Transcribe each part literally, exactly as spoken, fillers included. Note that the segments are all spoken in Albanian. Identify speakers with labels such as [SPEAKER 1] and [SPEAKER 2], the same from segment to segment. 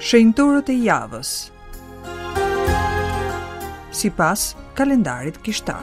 [SPEAKER 1] Shenjtorët e javës. Sipas kalendarit kishtar.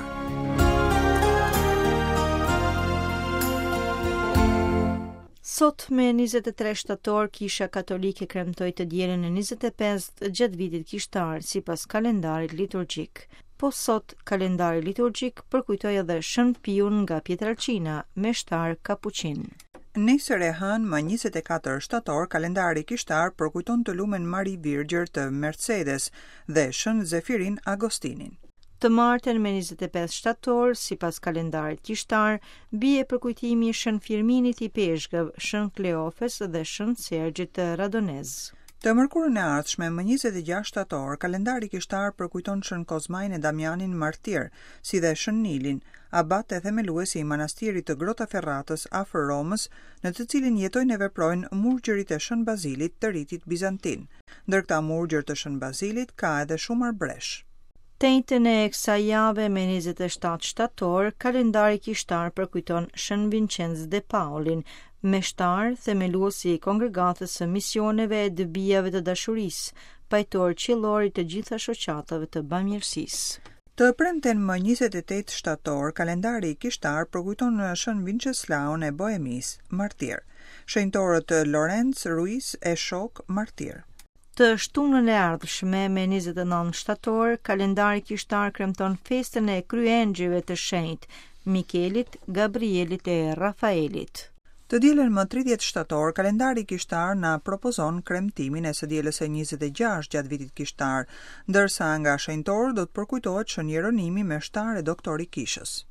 [SPEAKER 2] Sot me njëzet e tre shtator, Kisha Katolike kremtoi të dielën e njëzet e pestë gjatë vitit kishtar sipas kalendarit liturgjik. Po sot, kalendari liturgjik përkujtoi edhe Shën Piun nga Pietrelcina, meshtar kapuqin.
[SPEAKER 1] Nesër e hënë më njëzet e katër shtator, kalendari kishtar përkujton të lumen Mari Virgjër të Mercedes dhe Shën Zefirin Agostinin.
[SPEAKER 2] Të martën me njëzet e pesë shtator, sipas kalendarit kishtar, bie përkujtimi i Shën Firminit i Peshkëv, Shën Kleofes dhe Shën Sergjit të Radonez.
[SPEAKER 1] Të mërkurën e ardhshme, më njëzet e gjashtë shtator, kalendari kishtar përkujton Shën Kozmain e Damianin martir, si dhe Shën Nilin, abat e themeluesi i manastirit të Grotaferratës afër Romës, në të cilin jetojnë e veprojnë murgjërit e Shën Bazilit të ritit bizantin. Ndër këta murgjër të Shën Bazilit ka edhe shumë arbresh.
[SPEAKER 2] Të enjten e kësaj jave me njëzet e shtatë shtator, kalendari kishtar përkujton Shën Vincenz de Paulin, meshtar, themeluesi i kongregatës së misioneve e dëbijave të dashurisë, pajtor qiellor i të gjitha shoqatave të bamirësisë.
[SPEAKER 1] Të premten më njëzet e tetë shtator, kalendari kishtar përkujton Shën Vinceslaun e Bohemisë, martir. Shenjtorët Lorenz, Ruiz e Shok, martir.
[SPEAKER 2] Të shtunën e ardhshme me njëzet e nëntë shtator, kalendari kishtar kremton festën e kryengjëjve të shenjtë, Mikelit, Gabrielit e Rafaelit.
[SPEAKER 1] Të dielën më tridhjetë shtator, kalendari kishtar na propozon kremtimin e së dielës së njëzet e gjashtë gjatë vitit kishtar, ndërsa nga shenjtorët do të përkujtohet Shën Jeronimi, meshtar e doktor i kishës.